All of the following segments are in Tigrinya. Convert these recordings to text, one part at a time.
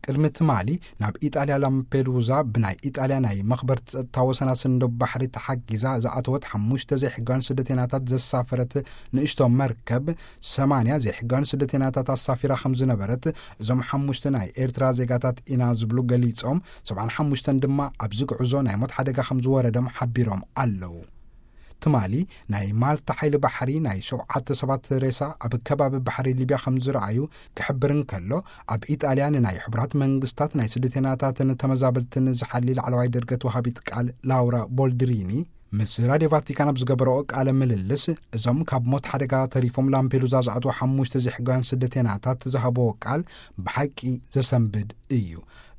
ቅድሚ ትማሊ ናብ ኢጣልያ ላምፔዱዛ ብናይ ኢጣልያ ናይ መኽበርቲ ጸጥታ ወሰና ስንዶ ባሕሪ ተሓጊዛ ዝኣተወት ሓሙሽተ ዘይሕጋውያን ስደተናታት ዘሳፈረት ንእሽቶ መርከብ ሰማንያ ዘይሕጋውያን ስደተናታት ኣሳፊራ ከም ዝነበረት እዞም ሓሙሽተ ናይ ኤርትራ ዜጋታት ኢና ዝብሉ ገሊጾም፣ ሰብዓን ሓሙሽተን ድማ ኣብዚ ጉዕዞ ናይ ሞት ሓደጋ ከም ዝወረዶም ሓቢሮም ኣለዉ። ትማሊ ናይ ማልታ ሓይሊ ባሕሪ ናይ ሸውዓተ ሰባት ሬሳ ኣብ ከባቢ ባሕሪ ሊብያ ከም ዝረኣዩ ክሕብር እንከሎ፣ ኣብ ኢጣልያ ንናይ ሕቡራት መንግስታት ናይ ስደተናታትን ተመዛበልትን ዝሓሊ ላዕለዋይ ደርገት ወሃቢት ቃል ላውራ ቦልድሪኒ ምስ ራድዮ ቫቲካን ኣብ ዝገበረኦ ቃለ ምልልስ፣ እዞም ካብ ሞት ሓደጋ ተሪፎም ላምፔዱዛ ዝኣትዉ ሓሙሽተ ዘይሕጋውያን ስደተናታት ዝሃብዎ ቃል ብሓቂ ዘሰንብድ እዩ።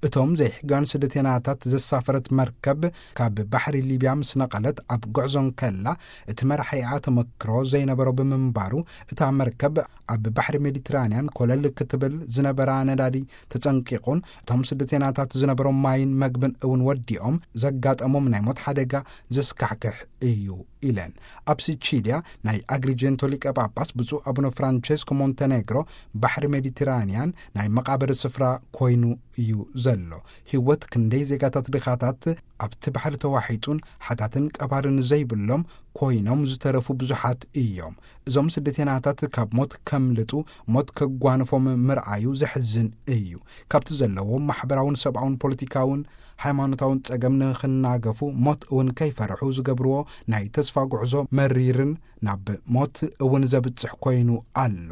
እቶም ዘይሕጋውያን ስደተናታት ዘሳፈረት መርከብ ካብ ባሕሪ ሊብያ ምስ ነቐለት ኣብ ጉዕዞ እንከላ፣ እቲ መራሒኣ ተመክሮ ዘይነበሮ ብምንባሩ፣ እታ መርከብ ኣብ ባሕሪ ሜዲትራንያን ኮለል ክትብል ዝነበራ ነዳዲ ተጸንቂቑን እቶም ስደተናታት ዝነበሮም ማይን መግብን እውን ወዲኦም ዘጋጠሞም ናይ ሞት ሓደጋ ዘስካሕክሕ እዩ ኢለን። ኣብ ሲቺልያ ናይ ኣግሪጀንቶ ሊቀ ጳጳስ ብፁዕ ኣቡነ ፍራንቸስኮ ሞንተኔግሮ ባሕሪ ሜዲትራንያን ናይ መቓብር ስፍራ ኮይኑ እዩ ዘሎ። ህይወት ክንደይ ዜጋታት ድኻታት ኣብቲ ባሕሪ ተዋሒጡን ሓታትን ቀባርን ዘይብሎም ኮይኖም ዝተረፉ ብዙሓት እዮም። እዞም ስደተናታት ካብ ሞት ከምልጡ፣ ሞት ከጓንፎም ምርኣዩ ዘሕዝን እዩ። ካብቲ ዘለዎም ማሕበራውን ሰብኣውን ፖለቲካውን ሃይማኖታውን ጸገም ንኽናገፉ፣ ሞት እውን ከይፈርሑ ዝገብርዎ ናይ ተስፋ ጉዕዞ መሪርን ናብ ሞት እውን ዘብጽሕ ኮይኑ ኣሎ።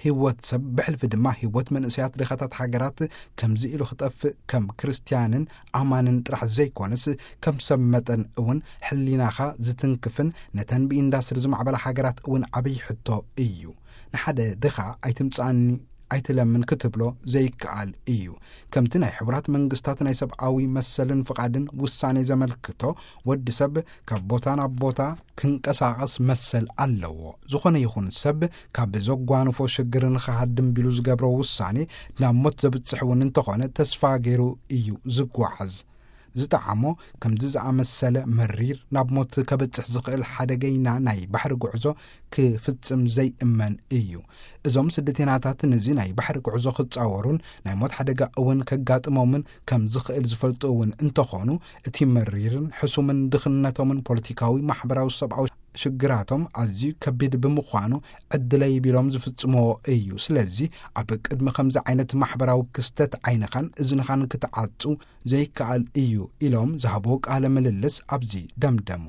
ህይወት ሰብ ብሕልፊ ድማ ህይወት መንእሰያት ድኻታት ሃገራት ከምዚ ኢሉ ክጠፍእ ከም ክርስትያንን ኣማንን ጥራሕ ዘይኮነስ ከም ሰብ መጠን እውን ሕሊናኻ ዝትንክፍን ነተን ብኢንዳስትሪ ዝማዕበላ ሃገራት እውን ዓብይ ሕቶ እዩ። ንሓደ ድኻ ኣይትምጻኒ ኣይትለምን ክትብሎ ዘይከኣል እዩ። ከምቲ ናይ ሕቡራት መንግስታት ናይ ሰብኣዊ መሰልን ፍቓድን ውሳኔ ዘመልክቶ፣ ወዲ ሰብ ካብ ቦታ ናብ ቦታ ክንቀሳቐስ መሰል ኣለዎ። ዝኾነ ይኹን ሰብ ካብ ዘጓንፎ ሽግር ንኽሃድም ቢሉ ዝገብሮ ውሳኔ ናብ ሞት ዘብጽሕ እውን እንተኾነ ተስፋ ገይሩ እዩ ዝጓዓዝ። ዝጠዓሞ ከምዚ ዝኣመሰለ መሪር ናብ ሞት ከበጽሕ ዝኽእል ሓደገይና ናይ ባሕሪ ጉዕዞ ክፍጽም ዘይእመን እዩ። እዞም ስደተናታት ነዚ ናይ ባሕሪ ጉዕዞ ክጻወሩን ናይ ሞት ሓደጋ እውን ከጋጥሞምን ከም ዝኽእል ዝፈልጡ እውን እንተኾኑ፣ እቲ መሪርን ሕሱምን ድኽነቶምን ፖለቲካዊ፣ ማሕበራዊ፣ ሰብኣዊ ሽግራቶም ኣዝዩ ከቢድ ብምዃኑ ዕድለይ ቢሎም ዝፍጽምዎ እዩ። ስለዚ ኣብ ቅድሚ ከምዚ ዓይነት ማሕበራዊ ክስተት ዓይንኻን እዝንኻን ክትዓጹ ዘይከኣል እዩ ኢሎም ዝሃብዎ ቃለ ምልልስ ኣብዚ ደምደሙ።